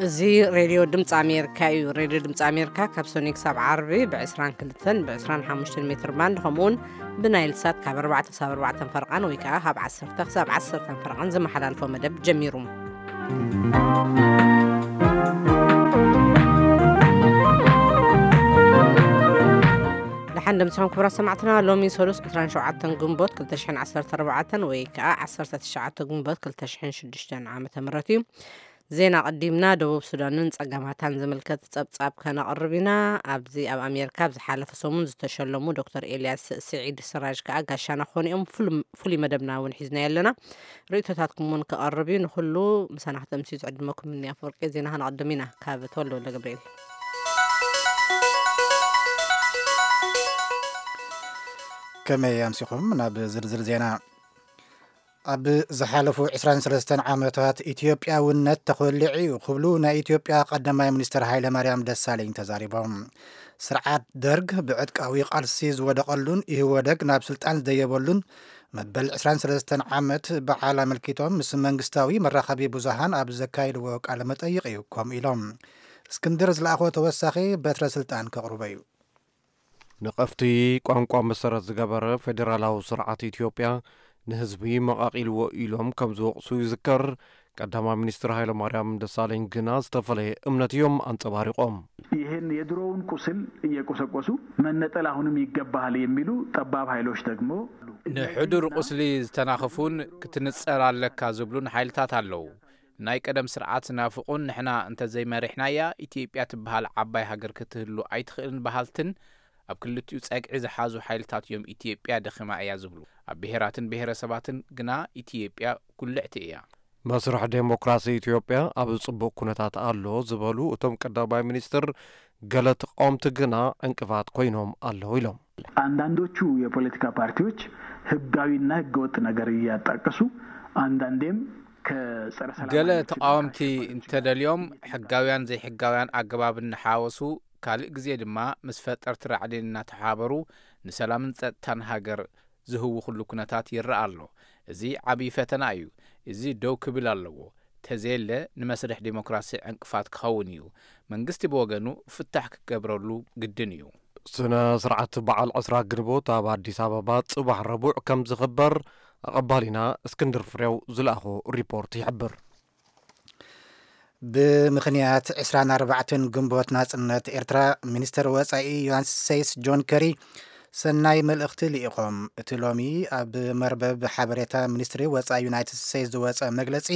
እዚ ሬድዮ ድምፂ ኣሜሪካ እዩ። ሬድዮ ድምፂ ኣሜሪካ ካብ ሰኑይ ክሳብ ዓርቢ ብ22ን ብ25 ሜትር ባንድ፣ ከምኡውን ብናይል ሳት ካብ ኣርባዕተ ክሳብ ኣርባዕተ ፈረቓን ወይ ከዓ ካብ ዓሰርተ ክሳብ ዓሰርተ ፈረቓን ዝመሓላልፎ መደብ ጀሚሩ። ደሓን ደምስኹም ክቡራት ሰማዕትና። ሎሚ ሰሉስ ዕስራን ሸውዓተን ግንቦት ክልተ ሽሕን ዓሰርተ ኣርባዕተን ወይ ከዓ ዓሰርተ ትሽዓተ ግንቦት ክልተ ሽሕን ሽዱሽተን ዓመተ ምህረት እዩ። ዜና ቀዲምና ደቡብ ሱዳንን ጸገማታን ዝምልከት ጸብጻብ ከነቕርብ ኢና። ኣብዚ ኣብ ኣሜሪካ ኣብ ዝሓለፈ ሰሙን ዝተሸለሙ ዶክተር ኤልያስ ስዒድ ስራጅ ከኣ ጋሻና ክኾኑ እዮም። ፍሉም-፣ ፍሉይ መደብና እውን ሒዝና ኣለና። ርእይቶታትኩም እውን ክቐርብ እዩ። ንኹሉ ምሳና ክትምስዩ ዝዕድመኩም እኒ ኣፈወርቂ። ዜና ከነቕድም ኢና ካብ ተወልደ ወልደ ገብርኤል። ከመይ ኣምሲኹም? ናብ ዝርዝር ዜና። ኣብ ዝሓለፉ ዕስራን ሰለስተን ዓመታት ኢትዮጵያውነት ተኾሊዑ እዩ ክብሉ ናይ ኢትዮጵያ ቀዳማይ ሚኒስትር ሃይለማርያም ደሳለኝ ተዛሪቦም። ስርዓት ደርግ ብዕጥቃዊ ቃልሲ ዝወደቐሉን ኢህወደግ ናብ ስልጣን ዝደየበሉን መበል ዕስራን ሰለስተን ዓመት በዓል ኣመልኪቶም ምስ መንግስታዊ መራኸቢ ብዙሃን ኣብ ዘካየድዎ ቃለ መጠይቕ እዩ ከምኡ ኢሎም። እስክንድር ዝለኣኾ ተወሳኺ በትረ ስልጣን ከቕርቦ እዩ። ነቐፍቲ ቋንቋ መሰረት ዝገበረ ፌዴራላዊ ስርዓት ኢትዮጵያ ንህዝቢ መቓቒልዎ ኢሎም ከም ዝወቕሱ ይዝከር። ቀዳማይ ሚኒስትር ሃይለማርያም ደሳለኝ ግና ዝተፈለየ እምነት እዮም ኣንጸባሪቖም። ይህን የድሮውን ቁስል እየቆሰቆሱ መነጠል አሁንም ይገባሃል የሚሉ ጠባብ ኃይሎች ደግሞ ንሕዱር ቁስሊ ዝተናኽፉን ክትንጸል ኣለካ ዝብሉን ሓይልታት ኣለዉ። ናይ ቀደም ስርዓት ዝናፍቑን ንሕና እንተዘይመሪሕናያ ኢትዮጵያ ትበሃል ዓባይ ሃገር ክትህሉ ኣይትኽእልን በሃልትን ኣብ ክልቲኡ ጸግዒ ዝሓዙ ሓይልታት እዮም ኢትዮጵያ ደኺማ እያ ዝብሉ። ኣብ ብሄራትን ብሄረሰባትን ግና ኢትዮጵያ ጉልዕቲ እያ። መስርሕ ዴሞክራሲ ኢትዮጵያ ኣብ ጽቡቕ ኩነታት ኣሎ ዝበሉ እቶም ቀዳማይ ሚኒስትር፣ ገለ ተቃወምቲ ግና ዕንቅፋት ኮይኖም ኣለዉ ኢሎም። አንዳንዶቹ የፖለቲካ ፓርቲዎች ህጋዊና ህገወጥ ነገር እያጣቀሱ አንዳንዴም ከጸረ ሰላም ገለ ኃይሎች ተቃወምቲ እንተደልዮም ሕጋውያን ዘይሕጋውያን ኣገባብ እናሓወሱ ካልእ ግዜ ድማ ምስ ፈጠርቲ ራዕዲ እናተሓባበሩ ንሰላምን ጸጥታን ሃገር ዝህውኹሉ ኩነታት ይረኣ ኣሎ። እዚ ዓብዪ ፈተና እዩ። እዚ ደው ክብል ኣለዎ። ተዘየለ ንመስርሕ ዲሞክራሲ ዕንቅፋት ክኸውን እዩ። መንግስቲ ብወገኑ ፍታሕ ክገብረሉ ግድን እዩ። ስነ ስርዓት በዓል ዕስራ ግንቦት ኣብ ኣዲስ ኣበባ ጽባሕ ረቡዕ ከም ዝኽበር ኣቐባሊና እስክንድር ፍሬው ዝለኣኾ ሪፖርት ይሕብር። ብምኽንያት ዕስራን ኣርባዕተን ግንቦት ናጽነት ኤርትራ፣ ሚኒስተር ወጻኢ ዩናይትድ ስቴትስ ጆን ከሪ ሰናይ መልእኽቲ ልኢኾም። እቲ ሎሚ ኣብ መርበብ ሓበሬታ ሚኒስትሪ ወጻኢ ዩናይትድ ስቴትስ ዝወጸ መግለጺ፣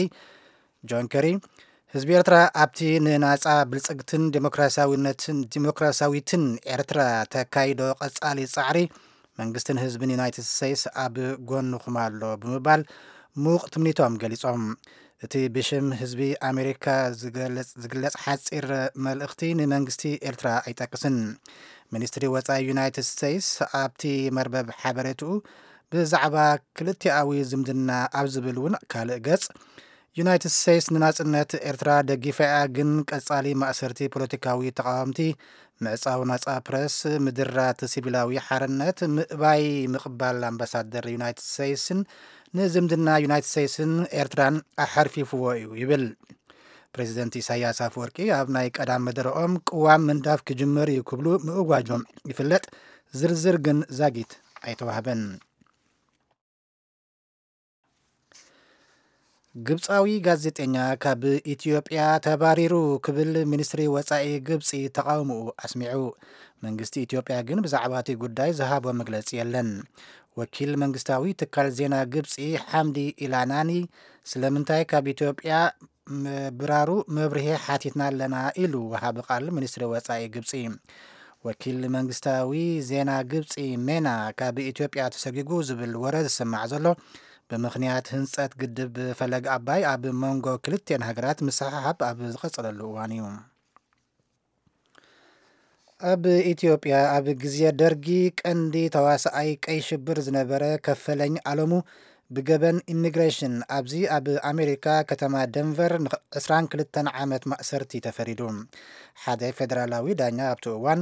ጆን ከሪ፣ ህዝቢ ኤርትራ ኣብቲ ንናጻ ብልጽግትን ዲሞክራሲያዊነትን፣ ዲሞክራሲያዊትን ኤርትራ ተካይዶ ቀጻሊ ጻዕሪ መንግስትን ህዝብን ዩናይትድ ስቴትስ ኣብ ጎንኹም ኣሎ ብምባል ምዉቕ ትምኒቶም ገሊጾም። እቲ ብሽም ህዝቢ ኣሜሪካ ዝገለጽ፣ ዝግለጽ ሓጺር መልእኽቲ ንመንግስቲ ኤርትራ ኣይጠቅስን። ሚኒስትሪ ወጻኢ ዩናይትድ ስቴትስ ኣብቲ መርበብ ሓበሬትኡ ብዛዕባ ክልቲኣዊ ዝምድና ኣብ ዝብል እውን ካልእ ገጽ፣ ዩናይትድ ስቴትስ ንናጽነት ኤርትራ ደጊፋ እያ፣ ግን ቀጻሊ ማእሰርቲ ፖለቲካዊ ተቓወምቲ፣ ምዕጻው ናጻ ፕረስ፣ ምድራት ሲቪላዊ ሓርነት፣ ምእባይ ምቕባል ኣምባሳደር ዩናይትድ ስቴትስን ንዝምድና ዩናይትድ ስቴትስን ኤርትራን ኣሐርፊፍዎ እዩ ይብል። ፕሬዚደንት ኢሳያስ ኣፈወርቂ ኣብ ናይ ቀዳም መደረኦም ቅዋም ምንዳፍ ክጅምር እዩ ክብሉ ምእዋጆም ይፍለጥ። ዝርዝር ግን ዛጊት ኣይተዋህበን። ግብጻዊ ጋዜጠኛ ካብ ኢትዮጵያ ተባሪሩ ክብል ሚኒስትሪ ወጻኢ ግብጺ ተቓውሞኡ ኣስሚዑ። መንግስቲ ኢትዮጵያ ግን ብዛዕባ እቲ ጉዳይ ዝሃቦ መግለጺ የለን። ወኪል መንግስታዊ ትካል ዜና ግብጺ ሓምዲ ኢላናኒ ስለምንታይ ካብ ኢትዮጵያ ምብራሩ መብርሂ ሓቲትና ኣለና ኢሉ ወሃቢ ቃል ሚኒስትሪ ወጻኢ ግብጺ። ወኪል መንግስታዊ ዜና ግብጺ ሜና ካብ ኢትዮጵያ ተሰጊጉ ዝብል ወረ ዝስማዕ ዘሎ ብምኽንያት ህንጸት ግድብ ፈለግ ኣባይ ኣብ መንጎ ክልቲኤን ሃገራት ምስሕሓብ ኣብ ዝቐጸለሉ እዋን እዩ። ኣብ ኢትዮጵያ ኣብ ግዜ ደርጊ ቀንዲ ተዋሳኣይ ቀይ ሽብር ዝነበረ ከፈለኝ ኣለሙ ብገበን ኢሚግሬሽን ኣብዚ ኣብ ኣሜሪካ ከተማ ደንቨር ን22 ዓመት ማእሰርቲ ተፈሪዱ። ሓደ ፌደራላዊ ዳኛ ኣብቲ እዋን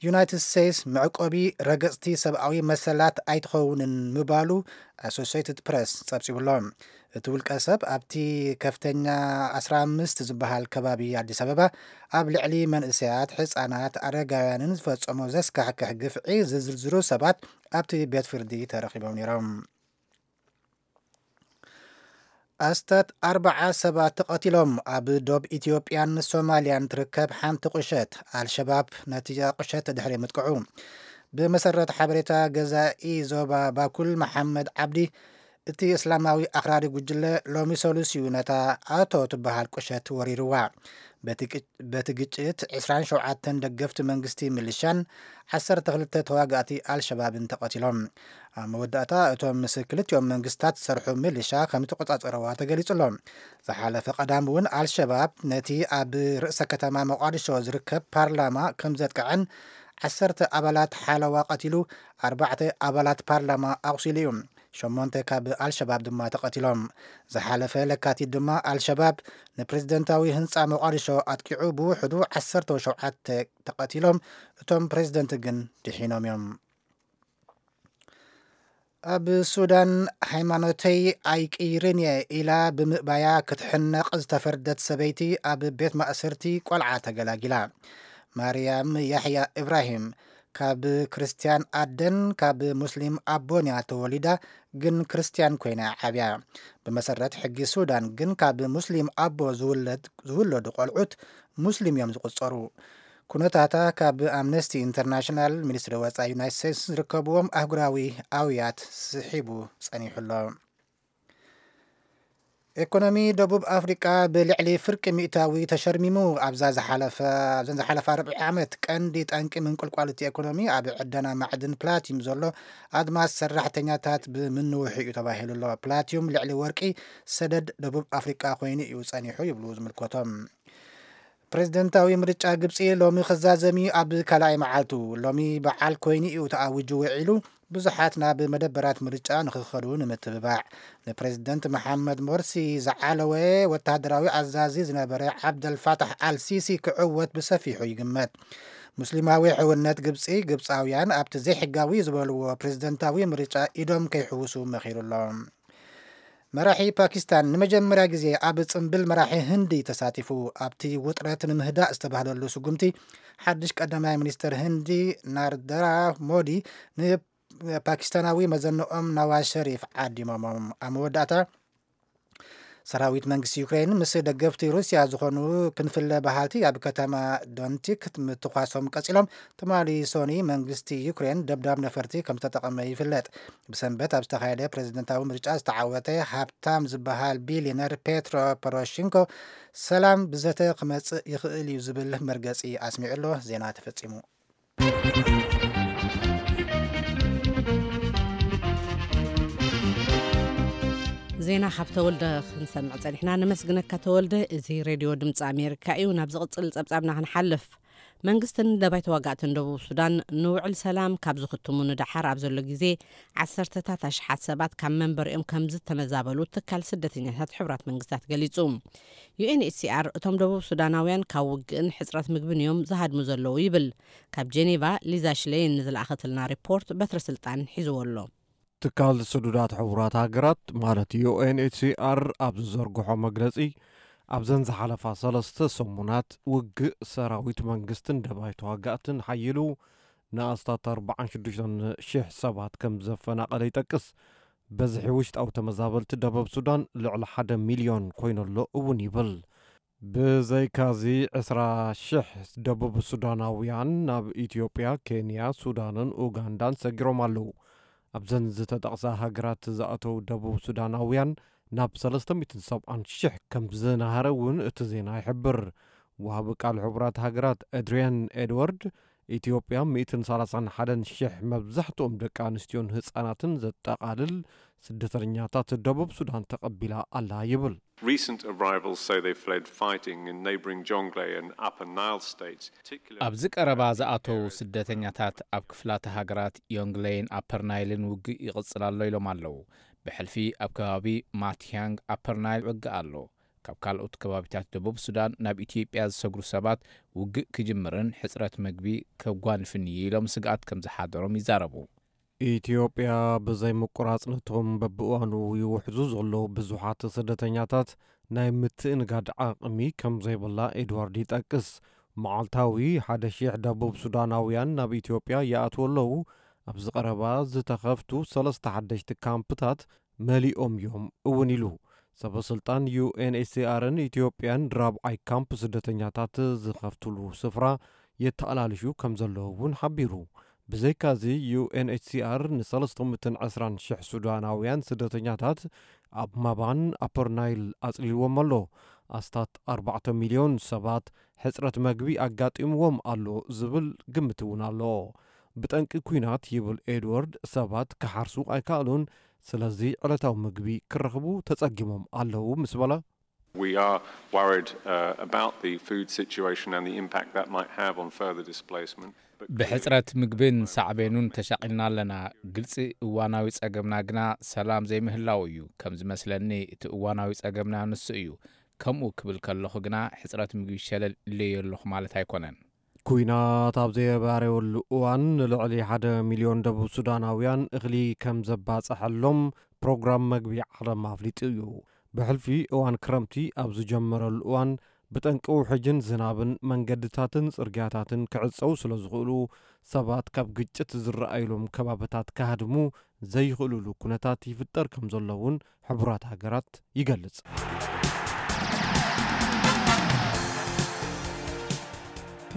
ዩናይትድ ስቴትስ መዕቆቢ ረገጽቲ ሰብኣዊ መሰላት ኣይትኸውንን ምባሉ ኣሶሲየትድ ፕረስ ጸብጺቡሎ። እቲ ውልቀ ሰብ ኣብቲ ከፍተኛ ዓሰርተ ኣምስት ዝበሃል ከባቢ ኣዲስ ኣበባ ኣብ ልዕሊ መንእሰያት፣ ህጻናት፣ ኣረጋውያንን ዝፈጸሞ ዘስካሕክሕ ግፍዒ ዝዝርዝሩ ሰባት ኣብቲ ቤት ፍርዲ ተረኺቦም ነይሮም። ኣስታት ኣርባዓ ሰባት ተቐቲሎም። ኣብ ዶብ ኢትዮጵያን ሶማልያን ትርከብ ሓንቲ ቁሸት ኣልሸባብ ነቲ ቁሸት ድሕሪ ምጥቅዑ፣ ብመሰረት ሓበሬታ ገዛኢ ዞባ ባኩል መሓመድ ዓብዲ፣ እቲ እስላማዊ ኣኽራሪ ጉጅለ ሎሚ ሰሉስ እዩ ነታ ኣቶ ትበሃል ቁሸት ወሪርዋ። በቲ ግጭት ዕስራን ሸውዓተን ደገፍቲ መንግስቲ ሚሊሻን ዓሰርተ ክልተ ተዋጋእቲ ኣልሸባብን ተቐቲሎም። ኣብ መወዳእታ እቶም ምስ ክልቲኦም መንግስታት ዝሰርሑ ሚሊሻ ከም ዝተቆጻጸረዋ ተገሊጹ ኣሎ። ዝሓለፈ ቀዳም እውን ኣልሸባብ ነቲ ኣብ ርእሰ ከተማ ሞቃዲሾ ዝርከብ ፓርላማ ከም ዘጥቅዐን ዓሰርተ ኣባላት ሓለዋ ቀቲሉ ኣርባዕተ ኣባላት ፓርላማ ኣቑሲሉ እዩ። ሸሞንተ ካብ ኣልሸባብ ድማ ተቐቲሎም። ዝሓለፈ ለካቲት ድማ ኣልሸባብ ንፕሬዝደንታዊ ህንፃ ሞቃዲሾ ኣጥቂዑ ብውሕዱ ዓሰርተ ሸውዓተ ተቐቲሎም። እቶም ፕሬዝደንት ግን ድሒኖም እዮም። ኣብ ሱዳን ሃይማኖተይ ኣይቅይርን እየ ኢላ ብምእባያ ክትሕነቕ ዝተፈርደት ሰበይቲ ኣብ ቤት ማእሰርቲ ቆልዓ ተገላጊላ። ማርያም ያሕያ ኢብራሂም ካብ ክርስትያን ኣደን ካብ ሙስሊም ኣቦን እያ ተወሊዳ፣ ግን ክርስትያን ኮይና እያ ዓብያ። ብመሰረት ሕጊ ሱዳን ግን ካብ ሙስሊም ኣቦ ዝውለድ- ዝውለዱ ቆልዑት ሙስሊም እዮም ዝቁጸሩ። ኩነታታ ካብ ኣምነስቲ ኢንተርናሽናል፣ ሚኒስትሪ ወጻኢ ዩናይትድ ስቴትስ ዝርከብዎም ኣህጉራዊ ኣውያት ስሒቡ ጸኒሑ ኣሎ። ኢኮኖሚ ደቡብ ኣፍሪቃ ብልዕሊ ፍርቂ ሚእታዊ ተሸርሚሙ። ኣብዛ ዝሓለፈ ኣብዘን ዝሓለፈ ኣርብዒ ዓመት ቀንዲ ጠንቂ ምንቁልቋል እቲ ኢኮኖሚ ኣብ ዕደና ማዕድን ፕላቲዩም ዘሎ ኣድማስ ሰራሕተኛታት ብምንውሑ እዩ ተባሂሉ ኣሎ። ፕላቲዩም ልዕሊ ወርቂ ሰደድ ደቡብ ኣፍሪቃ ኮይኑ እዩ ጸኒሑ ይብሉ ዝምልከቶም። ፕሬዝደንታዊ ምርጫ ግብጺ ሎሚ ክዛዘም እዩ ኣብ ካልኣይ መዓልቱ። ሎሚ በዓል ኮይኑ እዩ ተኣዊጁ ውዒሉ። ብዙሓት ናብ መደበራት ምርጫ ንኽኸዱ ንምትብባዕ። ንፕሬዝደንት መሓመድ ሞርሲ ዝዓለወ ወተሃደራዊ ኣዛዚ ዝነበረ ዓብደልፋታሕ ኣልሲሲ ክዕወት ብሰፊሑ ይግመት። ሙስሊማዊ ሕውነት ግብጺ፣ ግብጻውያን ኣብቲ ዘይሕጋዊ ዝበልዎ ፕሬዝደንታዊ ምርጫ ኢዶም ከይሕውሱ መኺሩ ኣሎ። መራሒ ፓኪስታን ንመጀመርያ ግዜ ኣብ ጽምብል መራሒ ህንዲ ተሳቲፉ። ኣብቲ ውጥረት ንምህዳእ ዝተባህለሉ ስጉምቲ ሓድሽ ቀዳማይ ሚኒስትር ህንዲ ናርደራ ሞዲ ንፓኪስታናዊ መዘንኦም ናዋዝ ሸሪፍ ዓዲሞሞም። ኣብ መወዳእታ ሰራዊት መንግስቲ ዩክሬን ምስ ደገፍቲ ሩስያ ዝኾኑ ክንፍለ በሃልቲ ኣብ ከተማ ዶንቲክ ምትኳሶም ቀጺሎም። ትማሊ ሶኒ መንግስቲ ዩክሬን ደብዳብ ነፈርቲ ከም ዝተጠቐመ ይፍለጥ። ብሰንበት ኣብ ዝተኻየደ ፕሬዝደንታዊ ምርጫ ዝተዓወተ ሃብታም ዝበሃል ቢልዮነር ፔትሮ ፖሮሽንኮ ሰላም ብዘተ ክመጽእ ይኽእል እዩ ዝብል መርገጺ ኣስሚዑ ኣሎ። ዜና ተፈጺሙ። ዜና ካብ ተወልደ ክንሰምዕ ጸኒሕና። ነመስግነካ ተወልደ። እዚ ሬድዮ ድምፂ ኣሜሪካ እዩ። ናብ ዝቕፅል ጸብጻብና ክንሓልፍ፣ መንግስትን ደባይ ተዋጋእትን ደቡብ ሱዳን ንውዕል ሰላም ካብ ዝኽትሙ ንደሓር ኣብ ዘሎ ግዜ ዓሰርተታት ኣሽሓት ሰባት ካብ መንበሪኦም ከም ዝተመዛበሉ ትካል ስደተኛታት ሕቡራት መንግስታት ገሊጹ። ዩኤንኤችሲኣር እቶም ደቡብ ሱዳናውያን ካብ ውግእን ሕጽረት ምግብን እዮም ዝሃድሙ ዘለዉ ይብል። ካብ ጄኔቫ ሊዛ ሽሌይን ንዝለኣኸትልና ሪፖርት በትረ ስልጣን ሒዝዎ ኣሎ። ትካል ስዱዳት ሕቡራት ሃገራት ማለት ዩኤንኤችሲኣር ኣብ ዝዘርግሖ መግለጺ፣ ኣብዘን ዝሓለፋ ሰለስተ ሰሙናት ውግእ ሰራዊት መንግስትን ደባይ ተዋጋእትን ሓይሉ ንኣስታት ኣርባዓን ሽዱሽተን ሽሕ ሰባት ከም ዘፈናቐለ ይጠቅስ። በዝሒ ውሽጣዊ ተመዛበልቲ ደቡብ ሱዳን ልዕሊ ሓደ ሚልዮን ኮይኑ ኣሎ እውን ይብል። ብዘይካዚ ዕስራ ሽሕ ደቡብ ሱዳናውያን ናብ ኢትዮጵያ፣ ኬንያ፣ ሱዳንን ኡጋንዳን ሰጊሮም ኣለዉ። ኣብዘን ዝተጠቕሳ ሃገራት ዝኣተዉ ደቡብ ሱዳናውያን ናብ ሰለስተ ሚእትን ሰብዓን ሽሕ ከም ዝናሃረ እውን እቲ ዜና ይሕብር። ወሃቢ ቃል ሕቡራት ሃገራት ኣድሪያን ኤድዋርድ፣ ኢትዮጵያ ሚእትን ሰላሳን ሓደን ሽሕ መብዛሕትኦም ደቂ ኣንስትዮን ህጻናትን ዘጠቓልል ስደተኛታት ደቡብ ሱዳን ተቐቢላ ኣላ ይብል። Recent arrivals say they fled fighting in neighbouring Jonglei and Upper Nile states, particularly ኣብዚ ቀረባ ዝኣተዉ ስደተኛታት ኣብ ክፍላተ ሃገራት ዮንግለይን ኣፐር ናይልን ውግእ ይቕጽል ኣሎ ኢሎም ኣለዉ። ብሕልፊ ኣብ ከባቢ ማትያንግ ኣፐር ናይል ውግእ ኣሎ። ካብ ካልኦት ከባቢታት ደቡብ ሱዳን ናብ ኢትዮጵያ ዝሰግሩ ሰባት ውግእ ክጅምርን ሕጽረት መግቢ ከጓንፍን እዩ ኢሎም ስግኣት ከም ዝሓደሮም ይዛረቡ። ኢትዮጵያ ብዘይ ምቁራጽ ነቶም በብእዋኑ ይውሕዙ ዘለዉ ብዙሓት ስደተኛታት ናይ ምትእንጋድ ዓቕሚ ከም ዘይብላ ኤድዋርድ ይጠቅስ። መዓልታዊ ሓደ ሺሕ ደቡብ ሱዳናውያን ናብ ኢትዮጵያ ይኣትዉ ኣለዉ። ኣብዚ ቀረባ ዝተኸፍቱ ሰለስተ ሓደሽቲ ካምፕታት መሊኦም እዮም እውን ኢሉ። ሰበ ስልጣን ዩኤንኤችሲኣርን ኢትዮጵያን ራብዓይ ካምፕ ስደተኛታት ዝኸፍትሉ ስፍራ የተኣላልሹ ከም ዘለዉ እውን ሓቢሩ። ብዘይካዚ ዩኤንኤችሲኣር ን320,000 ሱዳናውያን ስደተኛታት ኣብ ማባን ኣፐር ናይል ኣጽሊልዎም ኣሎ። ኣስታት ኣርባዕተ ሚልዮን ሰባት ሕጽረት መግቢ ኣጋጢምዎም ኣሎ ዝብል ግምት እውን ኣሎ። ብጠንቂ ኲናት ይብል ኤድዋርድ ሰባት ክሓርሱ ኣይከኣሉን፣ ስለዚ ዕለታዊ ምግቢ ክረኽቡ ተጸጊሞም ኣለዉ ምስ በለ፣ We are worried uh, about the food situation and the impact that might have on further displacement. But ብሕጽረት ምግብን ሳዕቤኑን ተሻቒልና ኣለና። ግልጺ እዋናዊ ጸገምና ግና ሰላም ዘይምህላው እዩ። ከም ዝመስለኒ እቲ እዋናዊ ጸገምና ንሱ እዩ። ከምኡ ክብል ከለኹ ግና ሕጽረት ምግቢ ሸለል ኢለዮ ኣለኹ ማለት ኣይኮነን። ኲናት ኣብ ዘየባረየሉ እዋን ንልዕሊ ሓደ ሚልዮን ደቡብ ሱዳናውያን እኽሊ ከም ዘባጽሐሎም ፕሮግራም መግቢ ዓለም ኣፍሊጡ እዩ። ብሕልፊ እዋን ክረምቲ ኣብ ዝጀመረሉ እዋን ብጠንቂ ውሕጅን ዝናብን መንገድታትን ጽርግያታትን ክዕጸው ስለ ዝኽእሉ ሰባት ካብ ግጭት ዝረኣዩሎም ከባብታት ክሃድሙ ዘይኽእሉሉ ኩነታት ይፍጠር ከም ዘሎ እውን ሕቡራት ሃገራት ይገልጽ።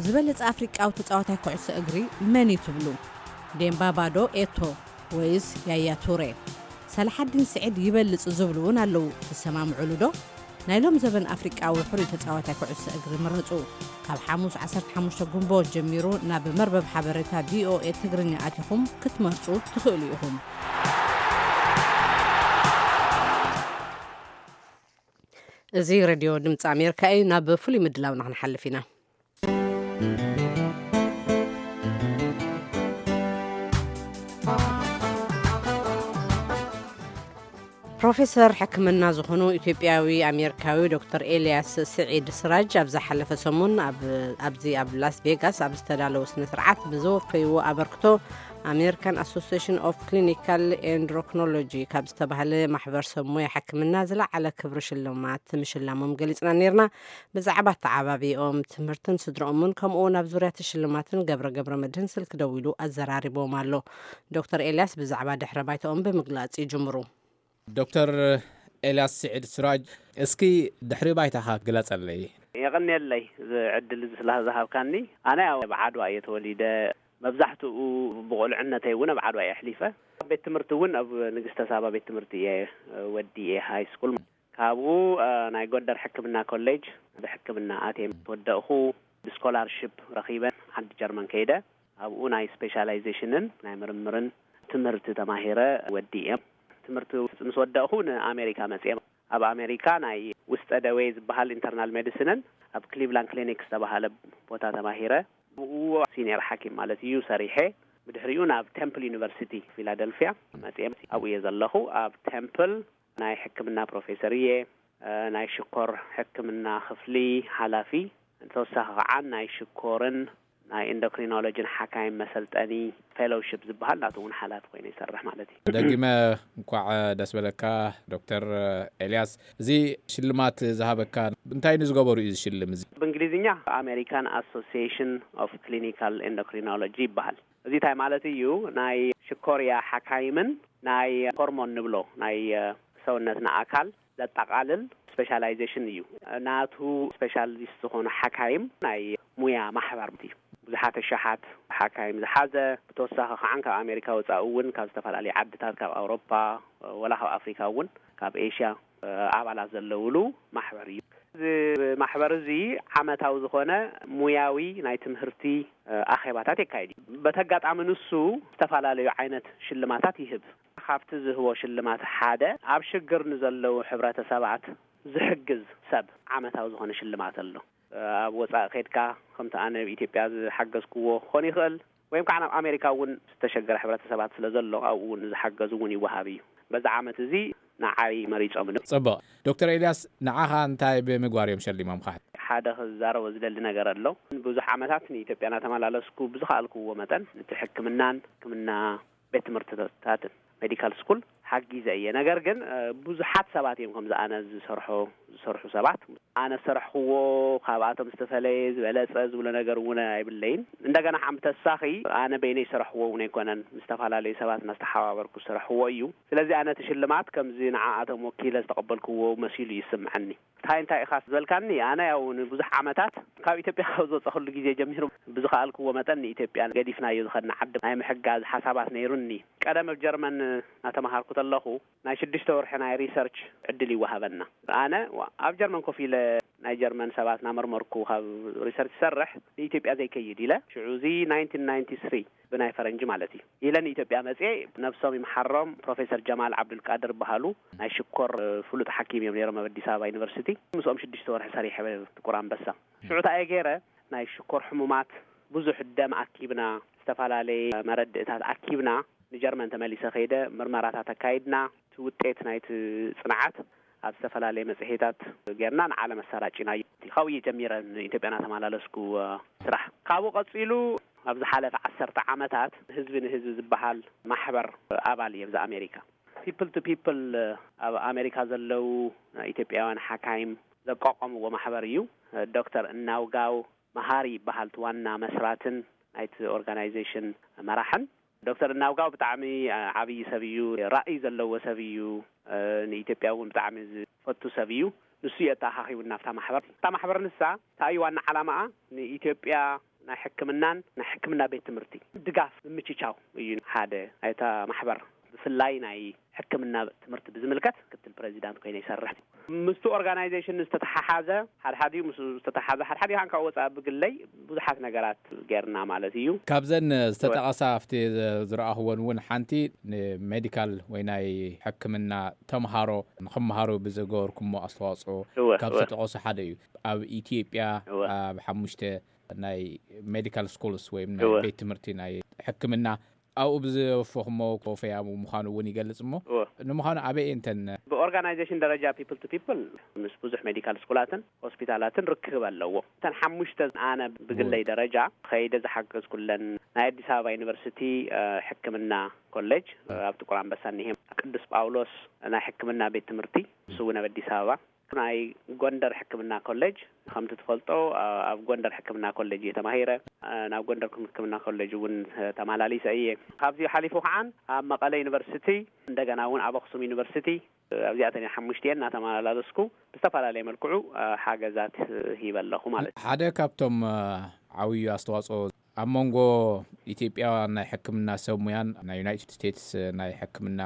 ዝበለጸ ኣፍሪቃዊ ተጻዋታይ ኩዕሶ እግሪ መን እዩ ትብሉ? ዴምባባ ዶ ኤቶ ወይስ ያያ ቱሬ? ሰላሓዲን ስዒድ ይበልጽ ዝብሉ እውን ኣለዉ። ትሰማምዑሉ ዶ? ናይ ሎም ዘበን ኣፍሪቃዊ ሕሩይ ተጻዋታይ ኩዕሶ እግሪ ምረጹ። ካብ ሓሙስ ዓሰርተ ሓሙሽተ ጉንቦት ጀሚሩ ናብ መርበብ ሓበሬታ ቪኦኤ ትግርኛ ኣቲኹም ክትመርጹ ትኽእሉ ኢኹም። እዚ ሬድዮ ድምፂ ኣሜሪካ እዩ። ናብ ፍሉይ ምድላውና ክንሓልፍ ኢና። ፕሮፌሰር ሕክምና ዝኾኑ ኢትዮጵያዊ ኣሜሪካዊ ዶክተር ኤልያስ ስዒድ ስራጅ ኣብ ዝሓለፈ ሰሙን ኣብ ኣብዚ ኣብ ላስ ቬጋስ ኣብ ዝተዳለወ ስነ ስርዓት ብዘወፈይዎ ኣበርክቶ ኣሜሪካን ኣሶሲሽን ኦፍ ክሊኒካል ኤንድሮክኖሎጂ ካብ ዝተባህለ ማሕበር ሰብ ሞያ ሕክምና ዝለዓለ ክብሪ ሽልማት ምሽላሞም ገሊፅና ነይርና። ብዛዕባ ኣተዓባቢኦም ትምህርትን ስድረኦምን ከምኡ እውን ኣብ ዙርያ እቲ ሽልማትን ገብረ ገብረ መድህን ስልኪ ደዊሉ ኣዘራሪቦም ኣሎ። ዶክተር ኤልያስ ብዛዕባ ድሕረ ባይታኦም ብምግላፅ ይጅምሩ። ዶክተር ኤልያስ ስዒድ ስራጅ፣ እስኪ ድሕሪ ባይታኻ ግለጸለይ። የቐንየለይ እዚ ዕድል እዚ ስለ ዝሃብካኒ። ኣነ ያው ኣብ ዓድዋ እየ ተወሊደ። መብዛሕትኡ ብቑልዕነተይ እውን ኣብ ዓድዋ እየ ኣሕሊፈ። ኣብ ቤት ትምህርቲ እውን ኣብ ንግስተ ሳባ ቤት ትምህርቲ እየ ወዲኤ ሃይ ስኩል። ካብኡ ናይ ጎንደር ሕክምና ኮሌጅ ብሕክምና ኣትየ ምስ ወደእኹ ብስኮላርሽፕ ረኺበ ዓዲ ጀርመን ከይደ ኣብኡ ናይ ስፔሻላይዜሽንን ናይ ምርምርን ትምህርቲ ተማሂረ ወዲኤ። ትምህርቲ ምስ ወደእኹ ንኣሜሪካ መፅየ። ኣብ ኣሜሪካ ናይ ውስጠ ደዌ ዝበሃል ኢንተርናል ሜዲሲንን ኣብ ክሊቭላንድ ክሊኒክ ዝተባሃለ ቦታ ተማሂረ ብኡ ሲኒየር ሓኪም ማለት እዩ ሰሪሐ። ብድሕሪኡ ናብ ቴምፕል ዩኒቨርሲቲ ፊላደልፊያ መፅየ ኣብኡ እየ ዘለኹ። ኣብ ቴምፕል ናይ ሕክምና ፕሮፌሰር እየ። ናይ ሽኮር ሕክምና ክፍሊ ሓላፊ፣ ተወሳኺ ከዓ ናይ ሽኮርን ናይ ኢንዶክሪኖሎጂን ሓካይም መሰልጠኒ ፌሎውሽፕ ዝበሃል ናቱ እውን ሓላፊ ኮይነ ይሰርሕ ማለት እዩ። ደጊመ እንኳዕ ደስ በለካ ዶክተር ኤልያስ። እዚ ሽልማት ዝሃበካ እንታይ ንዝገበሩ እዩ ዝሽልም? እዚ ብእንግሊዝኛ ኣሜሪካን ኣሶሲሽን ኦፍ ክሊኒካል ኢንዶክሪኖሎጂ ይበሃል። እዚ እንታይ ማለት እዩ? ናይ ሽኮርያ ሓካይምን ናይ ሆርሞን ንብሎ ናይ ሰውነትና ኣካል ዘጠቓልል ስፔሻላይዜሽን እዩ። ናቱ ስፔሻሊስት ዝኾኑ ሓካይም ናይ ሙያ ማሕበር እዩ። ብዙሓት ኣሽሓት ሓካይም ዝሓዘ፣ ብተወሳኺ ከዓ ካብ ኣሜሪካ ወፃኢ እውን ካብ ዝተፈላለዩ ዓድታት፣ ካብ ኣውሮፓ፣ ወላ ካብ ኣፍሪካ እውን፣ ካብ ኤሽያ ኣባላት ዘለውሉ ማሕበር እዩ። እዚ ማሕበር እዚ ዓመታዊ ዝኾነ ሙያዊ ናይ ትምህርቲ ኣኼባታት የካይድ እዩ። በቲ ኣጋጣሚ ንሱ ዝተፈላለዩ ዓይነት ሽልማታት ይህብ። ካብቲ ዝህቦ ሽልማት ሓደ ኣብ ሽግር ንዘለዉ ሕብረተሰባት ዝሕግዝ ሰብ ዓመታዊ ዝኾነ ሽልማት ኣሎ። ኣብ ወፃኢ ከድካ ከምቲ ኣነ ኣብ ኢትዮጵያ ዝሓገዝክዎ ክኾን ይኽእል ወይም ከዓ ናብ ኣሜሪካ እውን ዝተሸገረ ሕብረተሰባት ስለ ዘሎ ኣብኡ እውን ዝሓገዙ እውን ይወሃብ እዩ። በዚ ዓመት እዚ ንዓይ መሪጾምኒ። ጽቡቕ። ዶክተር ኤልያስ፣ ንዓኻ እንታይ ብምግባር እዮም ሸሊሞምኻ? ሓደ ክዛረቦ ዝደሊ ነገር ኣሎ። ብዙሕ ዓመታት ንኢትዮጵያ እናተመላለስኩ ብዝኸኣልክዎ መጠን እቲ ሕክምናን ሕክምና ቤት ትምህርትታትን ሜዲካል ስኩል ሓጊዘ እየ። ነገር ግን ብዙሓት ሰባት እዮም ከምዚ ኣነ ዝሰርሖ ዝሰርሑ ሰባት። ኣነ ዝሰርሕክዎ ካብኣቶም ዝተፈለየ ዝበለጸ ዝብሎ ነገር እውን ኣይብለይን። እንደገና ሓምተሳኺ ኣነ በይነይ ዝሰርሕዎ እውን ኣይኮነን፣ ምስ ዝተፈላለዩ ሰባት እናስተሓባበርኩ ዝሰርሕዎ እዩ። ስለዚ ኣነ እቲ ሽልማት ከምዚ ንዓኣቶም ወኪለ ዝተቐበልክዎ መሲሉ ይስምዐኒ። እንታይ እንታይ ኢኻ ዝበልካኒ? ኣነ ያው ንብዙሕ ዓመታት ካብ ኢትዮጵያ ካብ ዝወፀኹሉ ግዜ ጀሚሩ ብዝኸኣልክዎ መጠን ንኢትዮጵያ ገዲፍናዮ ዝኸድና ዓዲ ናይ ምሕጋዝ ሓሳባት ነይሩኒ። ቀደም ኣብ ጀርመን እናተምሃርኩ ተለኹ ናይ ሽዱሽተ ወርሒ ናይ ሪሰርች ዕድል ይወሃበና። ኣነ ኣብ ጀርመን ኮፍ ኢለ ናይ ጀርመን ሰባት እናመርመርኩ ካብ ሪሰርች ይሰርሕ ንኢትዮጵያ ዘይከይድ ኢለ ሽዑ እዚ ናይንቲን ናይንቲ ስሪ ብናይ ፈረንጂ ማለት እዩ ኢለ ንኢትዮጵያ መፅኤ። ነብሶም ይምሓሮም ፕሮፌሰር ጀማል ዓብዱልቃድር በሃሉ ናይ ሽኮር ፍሉጥ ሓኪም እዮም ነይሮም ኣብ ኣዲስ ኣበባ ዩኒቨርሲቲ። ምስኦም ሽዱሽተ ወርሒ ሰሪሐ ጥቁር ኣንበሳ። ሽዑ እንታይ እየ ገይረ ናይ ሽኮር ሕሙማት ብዙሕ ደም ኣኪብና ዝተፈላለየ መረድእታት ኣኪብና ንጀርመን ተመሊሰ ከይደ ምርመራታት ኣካይድና እቲ ውጤት ናይቲ ፅንዓት ኣብ ዝተፈላለየ መፅሄታት ጌርና ንዓለም ኣሰራጭናዮ። ካብኡ እየ ጀሚረ ንኢትዮጵያ እናተመላለስኩ ስራሕ። ካብኡ ቀፂሉ ኣብ ዝሓለፈ ዓሰርተ ዓመታት ህዝቢ ንህዝቢ ዝበሃል ማሕበር ኣባል እየ ኣብዚ ኣሜሪካ። ፒፕል ቱ ፒፕል ኣብ ኣሜሪካ ዘለዉ ኢትዮጵያውያን ሓካይም ዘቋቋምዎ ማሕበር እዩ። ዶክተር እናውጋው መሃሪ ይበሃል እቲ ዋና መስራትን ናይቲ ኦርጋናይዜሽን መራሕን። ዶክተር እናውጋው ብጣዕሚ ዓብዪ ሰብ እዩ። ራእይ ዘለዎ ሰብ እዩ። ንኢትዮጵያ እውን ብጣዕሚ ዝፈቱ ሰብ እዩ። ንሱ እዩ ኣተኣኻኺቡና ኣብታ ማሕበር። እታ ማሕበር ንሳ እንታይ እዩ ዋና ዓላማኣ? ንኢትዮጵያ ናይ ሕክምናን ናይ ሕክምና ቤት ትምህርቲ ድጋፍ ምምችቻው እዩ ሓደ ናይታ ማሕበር። ብፍላይ ናይ ሕክምና ትምህርቲ ብዝምልከት ክትል ፕሬዚዳንት ኮይነ ይሰርሕ። ምስቲ ኦርጋናይዜሽን ዝተተሓሓዘ ሓድሓዲኡ ምስ ዝተተሓዘ ሓድሓዲኡ ከኣ ወፃኢ ብግለይ ብዙሓት ነገራት ጌርና ማለት እዩ። ካብዘን ዝተጠቐሳ ኣብቲ ዝረኣኽወን እውን ሓንቲ ንሜዲካል ወይ ናይ ሕክምና ተምሃሮ ንኽምሃሩ ብዝገበርኩሞ ኣስተዋፅኦ እወ፣ ካብ እወ። ዝተጠቐሱ ሓደ እዩ። ኣብ ኢትዮጵያ እወ። ኣብ ሓሙሽተ ናይ ሜዲካል ስኩልስ ወይም ናይ እወ። ቤት ትምህርቲ ናይ ሕክምና ኣብኡ ብዝወፈኹሞ ኮፈያ ምዃኑ እውን ይገልጽ እሞ እወ። ንምዃኑ ኣበይ እንተን ብኦርጋናይዜሽን ደረጃ ፒፕል ቱ ፒፕል ምስ ብዙሕ ሜዲካል ስኩላትን ሆስፒታላትን ርክብ ኣለዎ። እተን ሓሙሽተ ኣነ ብግለይ እወ። ደረጃ ከይደ ዝሓገዝኩለን ናይ ኣዲስ ኣበባ ዩኒቨርሲቲ ሕክምና ኮሌጅ ኣብ ጥቁር ኣንበሳ እኒሄ፣ ቅዱስ ጳውሎስ ናይ ሕክምና ቤት ትምህርቲ እሱ እውን ኣብ ኣዲስ ኣበባ ናይ ጎንደር ሕክምና ኮሌጅ ከምቲ ትፈልጦ ኣብ ጎንደር ሕክምና ኮሌጅ እየ ተማሂረ። ናብ ጎንደር ሕክምና ኮሌጅ እውን ተመላሊሰ እየ። ካብዚ ሓሊፉ ከዓን ኣብ መቐለ ዩኒቨርሲቲ እንደገና እውን ኣብ ኣክሱም ዩኒቨርሲቲ ኣብዚኣተን ሓሙሽቲኤን እናተመላለስኩ ብዝተፈላለየ መልክዑ ሓገዛት ሂበ ኣለኹ ማለት እዩ። ሓደ ካብቶም ዓብዩ ኣስተዋፅኦ ኣብ መንጎ ኢትዮጵያ ናይ ሕክምና ሰብ ሙያን ናይ ዩናይትድ ስቴትስ ናይ ሕክምና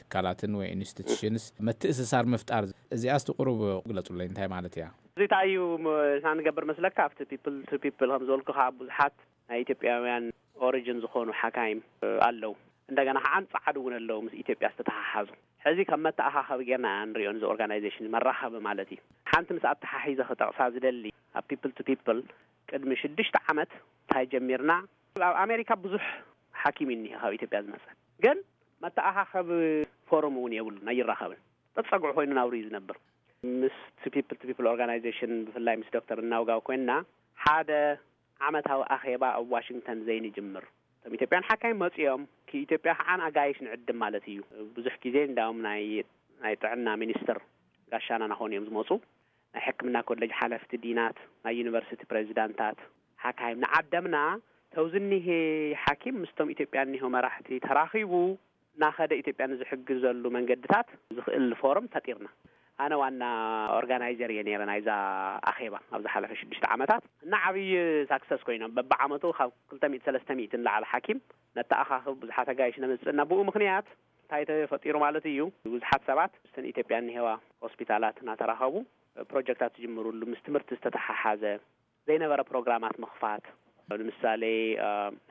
ትካላትን ወይ ኢንስቲቱሽንስ ምትእስሳር ምፍጣር እዚኣስ ቁሩብ ግለጹለይ እንታይ ማለት እያ? እዚ እንታይ እዩ ንሕና ንገብር መስለካ ኣብቲ ፒፕል ቱ ፒፕል ከም ዝበልኩኻ ብዙሓት ናይ ኢትዮጵያውያን ኦሪጅን ዝኾኑ ሓካይም ኣለዉ። እንደገና ከዓ ፃዓዱ እውን ኣለዉ ምስ ኢትዮጵያ ዝተተሓሓዙ። ሕዚ ከም መተኣኻኸቢ ጌርና ንሪኦ ንዚ ኦርጋናይዜሽን መራኸቢ ማለት እዩ። ሓንቲ ምስ ኣተሓሒዘ ክጠቕሳ ዝደሊ ኣብ ፒፕል ቱ ፒፕል ቅድሚ ሽዱሽተ ዓመት እንታይ ጀሚርና ኣብ ኣሜሪካ ብዙሕ ሓኪም እዩ እኒሄ ካብ ኢትዮጵያ ዝመፀ ግን መተኣኻኸቢ ፎረም እውን የብሉን ኣይራኸብን። ጠፀግዑ ኮይኑ ናብሩ እዩ ዝነብር። ምስ ፒፕል ቱ ፒፕል ኦርጋናይዜሽን ብፍላይ ምስ ዶክተር እናውጋው ኮይንና ሓደ ዓመታዊ ኣኼባ ኣብ ዋሽንግተን ዘይንጅምር እቶም ኢትዮጵያን ሓካይም መፂኦም ክኢትዮጵያ ከዓ ኣጋይሽ ንዕድም ማለት እዩ። ብዙሕ ግዜ እንዳውም ናይ ናይ ጥዕና ሚኒስትር ጋሻና ናኾኑ እዮም ዝመፁ። ናይ ሕክምና ኮሌጅ ሓለፍቲ ዲናት ናይ ዩኒቨርሲቲ ፕሬዚዳንታት ሓካይም ንዓደምና ተውዝኒሄ ሓኪም ምስቶም ኢትዮጵያ እኒሆ መራሕቲ ተራኺቡ ናኸደ ኢትዮጵያ ንዝሕግዘሉ መንገድታት ዝኽእል ፎርም ፈጢርና። ኣነ ዋና ኦርጋናይዘር እየ ነይረ ናይዛ ኣኼባ ኣብ ዝሓለፈ ሽዱሽተ ዓመታት እና ዓብዪ ሳክሰስ ኮይኖም በብዓመቱ ካብ ክልተ ሚእቲ ሰለስተ ሚእቲ ንላዕሊ ሓኪም ነተኣኻኽብ ብዙሓት ኣጋይሽ ነምፅእ እና ብኡ ምክንያት እንታይ ተፈጢሩ ማለት እዩ ብዙሓት ሰባት ምስተን ኢትዮጵያ እኒሄዋ ሆስፒታላት እናተራኸቡ ፕሮጀክታት ዝጅምሩሉ ምስ ትምህርቲ ዝተተሓሓዘ ዘይነበረ ፕሮግራማት ምኽፋት ንምሳሌ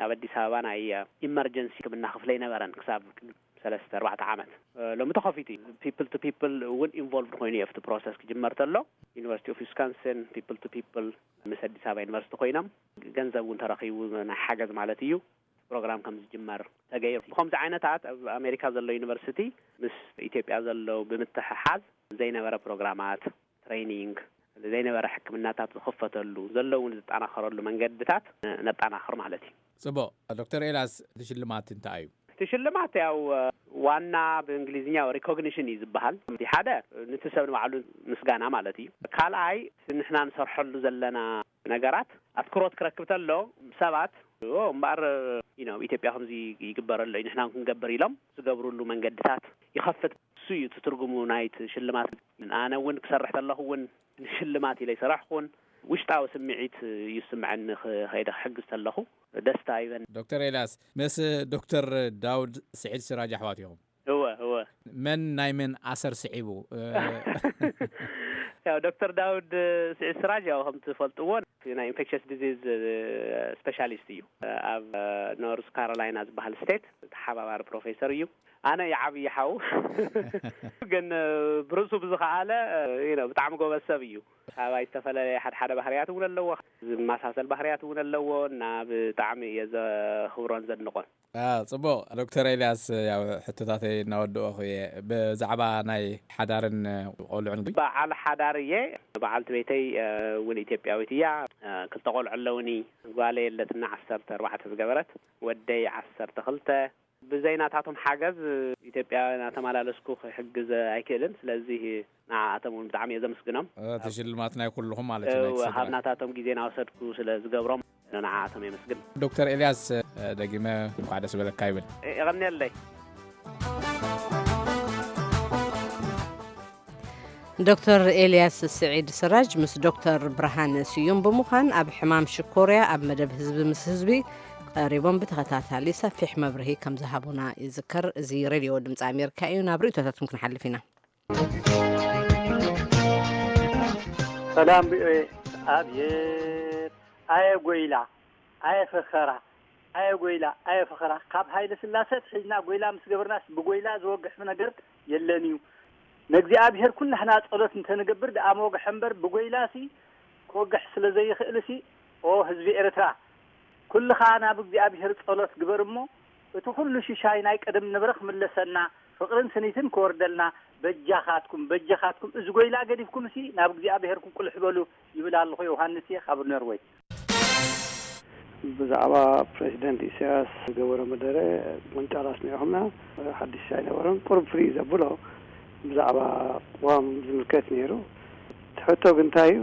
ኣብ ኣዲስ ኣበባ ናይ ኢመርጀንሲ ሕክምና ክፍለ ኣይነበረን ክሳብ ሰለስተ ኣርባዕተ ዓመት ሎሚ ተኸፊቱ እዩ። ፒፕል ቱ ፒፕል እውን ኢንቮልቭድ ኮይኑ እዩ ኣብቲ ፕሮሰስ ክጅመር ተሎ ዩኒቨርሲቲ ኦፍ ዊስካንሲን ፒፕል ቱ ፒፕል ምስ ኣዲስ ኣበባ ዩኒቨርሲቲ ኮይኖም ገንዘብ እውን ተረኺቡ ናይ ሓገዝ ማለት እዩ። ፕሮግራም ከም ዝጅመር ተገይሩ። ብኸምዚ ዓይነታት ኣብ ኣሜሪካ ዘሎ ዩኒቨርሲቲ ምስ ኢትዮጵያ ዘሎ ብምትሕሓዝ ዘይነበረ ፕሮግራማት፣ ትሬኒንግ፣ ዘይነበረ ሕክምናታት ዝኽፈተሉ፣ ዘሎ እውን ዝጠናኸረሉ መንገድታት ነጠናኽር ማለት እዩ። ጽቡቕ። ዶክተር ኤልያስ፣ እቲ ሽልማት እንታይ እዩ? እቲ ሽልማት ያው ዋና ብእንግሊዝኛ ሪኮግኒሽን እዩ ዝበሃል። እቲ ሓደ ንቲ ሰብ ንባዕሉ ምስጋና ማለት እዩ። ካልኣይ ንሕና ንሰርሐሉ ዘለና ነገራት ኣትኩሮት ክረክብ ተሎ ሰባት እምበኣር ኢትዮጵያ ከምዚ ይግበረሎ እዩ ንሕና ክንገብር ኢሎም ዝገብርሉ መንገድታት ይኸፍት። እሱ እዩ እቲ ትርጉሙ ናይቲ ሽልማት። ኣነ እውን ክሰርሕ ተለኹ እውን ንሽልማት ኢለ ይሰራሕኩን ውሽጣዊ ስምዒት እዩ ዝስምዐኒ። ከይደ ክሕግዝ ተለኹ ደስታ ይበን። ዶክተር ኤልያስ፣ ምስ ዶክተር ዳውድ ስዒድ ስራጅ ኣሕዋት ኢኹም? እወ እወ። መን ናይ መን ኣሰር ስዒቡ? ያው ዶክተር ዳውድ ስዒድ ስራጅ ያው ከም ትፈልጥዎ ናይ ኢንፌክሽስ ዲዚዝ ስፔሻሊስት እዩ። ኣብ ኖርዝ ካሮላይና ዝበሃል ስቴት ተሓባባሪ ፕሮፌሰር እዩ። ኣነ ይዓብይ ሓው ግን ብርእሱ ብዝኸኣለ ብጣዕሚ ጎበዝ ሰብ እዩ። ካባይ ዝተፈላለየ ሓደ ሓደ ባህርያት እውን ኣለዎ፣ ዝመሳሰል ባህርያት እውን ኣለዎ እና ብጣዕሚ እየ ዘኽብሮን ዘድንቆን። ጽቡቕ። ዶክተር ኤልያስ፣ ያው ሕቶታተይ እናወደእኹ እየ። ብዛዕባ ናይ ሓዳርን ቆልዑን በዓል ሓዳር እየ። በዓልቲ ቤተይ እውን ኢትዮጵያዊት እያ። ክልተ ቆልዑ ኣለውኒ። ጓለ የለትና ዓሰርተ ኣርባዕተ ዝገበረት፣ ወደይ ዓሰርተ ክልተ። ብዘይ ናታቶም ሓገዝ ኢትዮጵያ እናተመላለስኩ ክሕግዝ ኣይክእልን። ስለዚ ንዓኣቶም እውን ብጣዕሚ እየ ዘመስግኖም። እቲ ሽልማት ናይ ኩልኹም ማለት እዩ፣ ናይ እቲ ስድራ። ካብ ናታቶም ግዜ እናወሰድኩ ስለ ዝገብሮም ንዓኣቶም የመስግን። ዶክተር ኤልያስ፣ ደጊመ እንኳዕ ደስ በለካ ይብል። የቐንየለይ። ዶክተር ኤልያስ ስዒድ ስራጅ ምስ ዶክተር ብርሃነ ስዩም ብምዃን ኣብ ሕማም ሽኮርያ ኣብ መደብ ህዝቢ ምስ ህዝቢ ቀሪቦም ብተኸታታሊ ሰፊሕ መብርሂ ከም ዝሃቡና ይዝከር። እዚ ሬድዮ ድምፂ ኣሜሪካ እዩ። ናብ ርእይቶታትኩም ክንሓልፍ ኢና። ሰላም ቪኦኤ። ኣብየት ኣየ ጎይላ፣ ኣየ ፈኸራ፣ ኣየ ጎይላ፣ ኣየ ፈኸራ። ካብ ሃይለ ስላሰ ኣትሒዝና ጎይላ ምስ ገበርናስ ብጎይላ ዝወግሕ ነገር የለን እዩ። ንእግዚኣብሄር ኩላህና ጸሎት እንተንገብር ደኣ መወግሐ እምበር ብጎይላሲ ክወግሕ ስለ ዘይኽእልሲ፣ ኦ ህዝቢ ኤርትራ፣ ኩልኻ ናብ እግዚኣብሄር ጸሎት ግበር እሞ፣ እቲ ኩሉ ሽሻይ ናይ ቀደም ንብረ ክምለሰና፣ ፍቕርን ስኒትን ክወርደልና፣ በጃኻትኩም፣ በጃኻትኩም፣ እዚ ጎይላ ገዲፍኩምሲ ናብ እግዚኣብሄርኩም ቁልሕ በሉ ይብል ኣለኹ። ዮሃንስ እየ ካብ ኖርወይ። ብዛዕባ ፕረዚደንት ኢሳያስ ዝገበሮ መደረ ምንጫል ኣስሚዕኹምና፣ ሓድሽ ኣይነበረን። ቁሩብ ፍርይ ዘብሎ ብዛዕባ ቅዋም ዝምልከት ነይሩ። እቲ ሕቶ ግን እንታይ እዩ?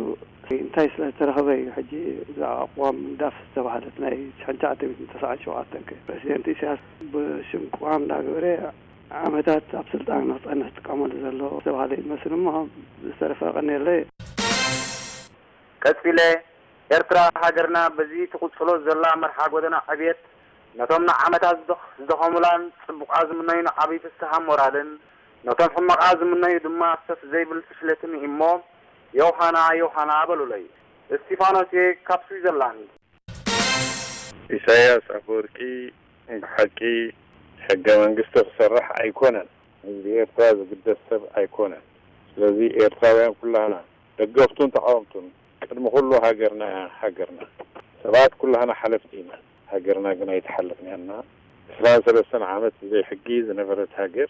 እንታይ ስለ ዝተረኸበ እዩ ሕጂ ብዛዕባ ቅዋም ምንዳፍ ዝተባህለት ናይ ሽሕን ትሽዓተ ሚእትን ተስዓን ሸውዓተን ከ ፕረዚደንት ኢሳያስ ብሽም ቅዋም እንዳገበረ ዓመታት ኣብ ስልጣን ንክጸንሕ ዝጥቀመሉ ዘሎ ዝተባህለ እዩ ዝመስል እሞ ዝተረፈ ቀኒየለይ። ቀጺለ፣ ኤርትራ ሃገርና በዚ ትቕጽሎ ዘላ መርሓ ጎደና ዕብየት ነቶም ንዓመታት ዝደኽ- ዝደኸሙላን ጽቡቓ ዝምነዩን ዓቢ ፍስሃ ሞራልን ነቶም ሕመቓ ዝምነዩ ድማ ሰፍ ዘይብል ፍሽለትን እሞ ዮሃና ዮሃና በሉለይ። እስቲፋኖስ እየ ካብ ስዊዘርላንድ። ኢሳያስ ኣፈወርቂ ብሓቂ ሕገ መንግስቲ ክሰርሕ ኣይኮነን። ህዝቢ ኤርትራ ዝግደስ ሰብ ኣይኮነን። ስለዚ ኤርትራውያን ኩላህና ደገፍቱን ተቓወምቱን ቅድሚ ኩሉ ሃገርና እያ ሃገርና። ሰባት ኩላህና ሓለፍቲ ኢና። ሃገርና ግን ኣይተሓለፍናያና። ዕስራን ሰለስተን ዓመት ብዘይ ሕጊ ዝነበረት ሃገር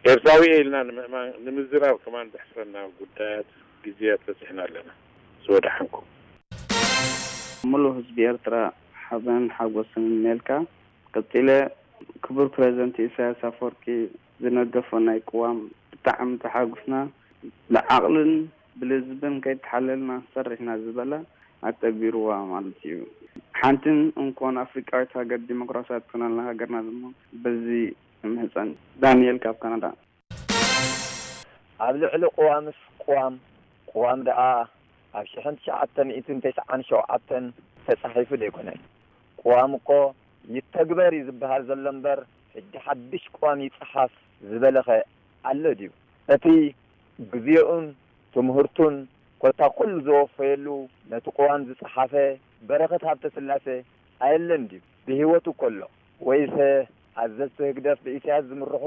ኤርትራዊ እየ ኢልና ንምእማን ንምዝራብ ከማን ዘሕፍረና ጉዳያት ግዜያት በጺሕና ኣለና። ዝወደሓንኩም። ሙሉእ ህዝቢ ኤርትራ ሓበን ሓጎስን እምነየልካ። ቀጺለ ክቡር ፕረዚደንት ኢሳያስ ኣፈወርቂ ዝነደፎ ናይ ቅዋም ብጣዕሚ ተሓጉስና። ብዓቕልን ብልዝብን ከይተሓለልና ክንሰርሕ ኢና ዝበለ ኣተግቢርዋ ማለት እዩ። ሓንትን እንኮን ኣፍሪቃዊት ሃገር ዲሞክራስያዊት ትኾነልና ሃገርና ድማ በዚ እምህጸን። ዳንኤል ካብ ካናዳ። ኣብ ልዕሊ ቅዋምስ ቅዋም፣ ቅዋም ደኣ ኣብ ሽሕን ትሽዓተ ሚእትን ተስዓን ሸውዓተን ተጻሒፉ ደይኮነን። ቅዋም እኮ ይተግበር እዩ ዝበሃል ዘሎ እምበር፣ ሕጂ ሓድሽ ቅዋም ይጸሓፍ ዝበለኸ ኣሎ ድዩ? እቲ ግዜኡን ትምህርቱን ኮታ ኩሉ ዘወፈየሉ፣ ነቲ ቅዋም ዝጸሓፈ በረኸት ሃብተስላሴ ኣየለን ድዩ? ብህይወቱ ከሎ ወይሰ ኣዘዝቲ ህግደፍ ብኢሳያስ ዝምርሑ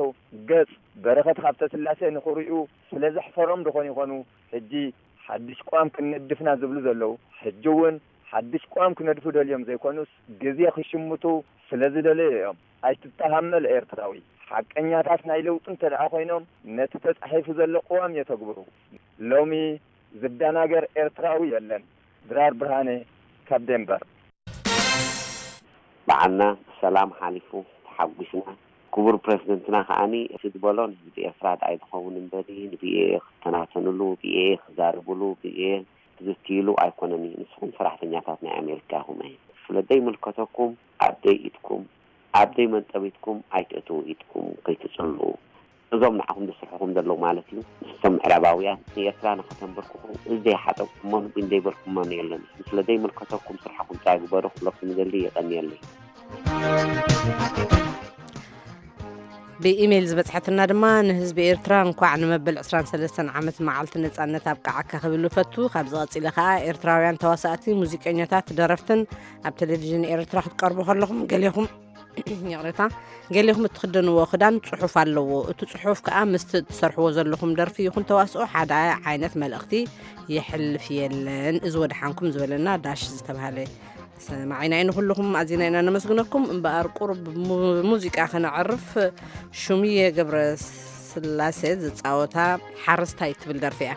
ገጽ በረኸት ሃብተስላሴ ንኽርእዩ ስለ ዘሕፈሮም ዶኾን ይኾኑ ሕጂ ሓድሽ ቅዋም ክንነድፍና ዝብሉ ዘለዉ? ሕጂ እውን ሓድሽ ቅዋም ክነድፉ ደልዮም ዘይኮኑስ ግዜ ክሽምቱ ስለ ዝደለዩ እዮም። ኣይትተሃመል ኤርትራዊ። ሓቀኛታት ናይ ለውጢ እንተ ደኣ ኮይኖም፣ ነቲ ተጻሒፉ ዘሎ ቅዋም የተግብሩ። ሎሚ ዝደናገር ኤርትራዊ የለን። ድራር ብርሃነ ካብ ዴንቨር። በዓልና ብሰላም ሓሊፉ ተሓጒስና። ክቡር ፕረዚደንትና ከኣኒ እቲ ዝበሎ ንህዝቢ ኤርትራ ደኣ ኣይዝኸውን እምበሪ ንብኤ ክተናተንሉ፣ ብኤ ክዛረብሉ፣ ብኤ ክዝትይሉ ኣይኮነን እዩ። ንስኹም ሰራሕተኛታት ናይ ኣሜሪካ ኢኹም እየ። ስለ ዘይምልከተኩም ኣብ ደይ ኢድኩም ኣብ ደይ መንጠቢትኩም ኣይትእትዉ ኢድኩም ከይትጽልኡ። እዞም ንዓኹም ዝስርሕኹም ዘለዉ ማለት እዩ። ንሶም ምዕራባውያን ንኤርትራ ንኸተንበርክኹ እዚ ዘይሓጠብኩሞ ንጉን ዘይበልኩሞም የለን። ስለ ዘይምልከተኩም ስርሓኹም ጥራይ ግበሩ ክብለኩም ይደሊ። የቐንየለይ። ብኢሜይል ዝበጽሐትና ድማ ንህዝቢ ኤርትራ እንኳዕ ንመበል ዕስራን ሰለስተን ዓመት መዓልቲ ነጻነት ኣብቃዓካ ክብል እፈቱ። ካብዚ ቀጺለ ከኣ ኤርትራውያን ተዋሳእቲ፣ ሙዚቀኛታት፣ ደረፍትን ኣብ ቴሌቪዥን ኤርትራ ክትቀርቡ ከለኹም ገሌኹም ይቕሬታ ገሌኹም እትኽደንዎ ክዳን ጽሑፍ ኣለዎ። እቲ ጽሑፍ ከኣ ምስቲ እትሰርሕዎ ዘለኹም ደርፊ ይኹን ተዋስኦ ሓደ ዓይነት መልእኽቲ የሕልፍ የለን። እዚ ወድሓንኩም ዝበለና ዳሽ ዝተባህለ ሰማዒና እዩ። ንኹልኹም ኣዚና ኢና ነመስግነኩም። እምበኣር ቁሩብ ብሙዚቃ ከነዕርፍ። ሹምየ ገብረ ስላሴ ዝጻወታ ሓረስታይ ትብል ደርፊ እያ።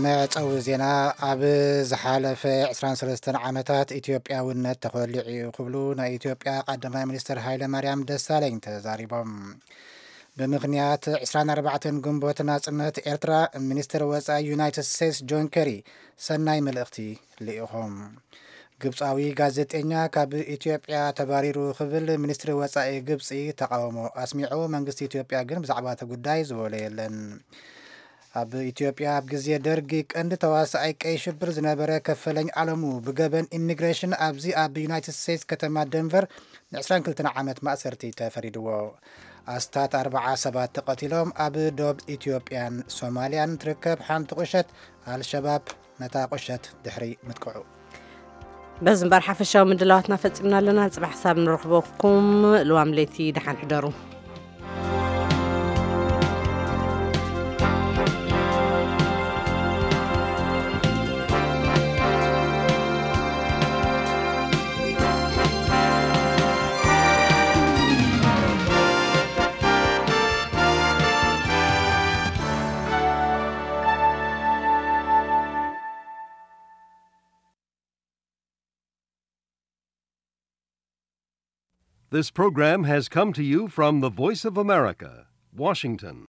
መዕጸዊ ዜና። ኣብ ዝሓለፈ ዕስራን ሰለስተን ዓመታት ኢትዮጵያውነት ተኾሊዑ እዩ ክብሉ ናይ ኢትዮጵያ ቀዳማይ ሚኒስትር ሃይለ ማርያም ደሳለኝ ተዛሪቦም። ብምኽንያት ዕስራን ኣርባዕተን ግንቦት ናጽነት ኤርትራ፣ ሚኒስትር ወጻኢ ዩናይትድ ስቴትስ ጆን ኬሪ ሰናይ መልእኽቲ ልኢኾም። ግብጻዊ ጋዜጠኛ ካብ ኢትዮጵያ ተባሪሩ ክብል ሚኒስትሪ ወጻኢ ግብጺ ተቓውሞ ኣስሚዑ። መንግስቲ ኢትዮጵያ ግን ብዛዕባ እቲ ጉዳይ ዝበሎ የለን። ኣብ ኢትዮጵያ ኣብ ግዜ ደርጊ ቀንዲ ተዋሳኣይ ቀይ ሽብር ዝነበረ ከፈለኝ ኣለሙ ብገበን ኢሚግሬሽን ኣብዚ ኣብ ዩናይትድ ስቴትስ ከተማ ደንቨር ን ዕስራን ክልተን ዓመት ማእሰርቲ ተፈሪድዎ። ኣስታት ኣርብዓ ሰባት ተቐቲሎም። ኣብ ዶብ ኢትዮጵያን ሶማልያን ትርከብ ሓንቲ ቁሸት ኣልሸባብ ነታ ቁሸት ድሕሪ ምጥቅዑ። በዚ እምበር ሓፈሻዊ ምድላዋትና ፈጺምና ኣለና። ጽባሕ ክሳብ ንረኽበኩም ልዋም ለይቲ ደሓን ሕደሩ። This program has come to you from the Voice of America, Washington.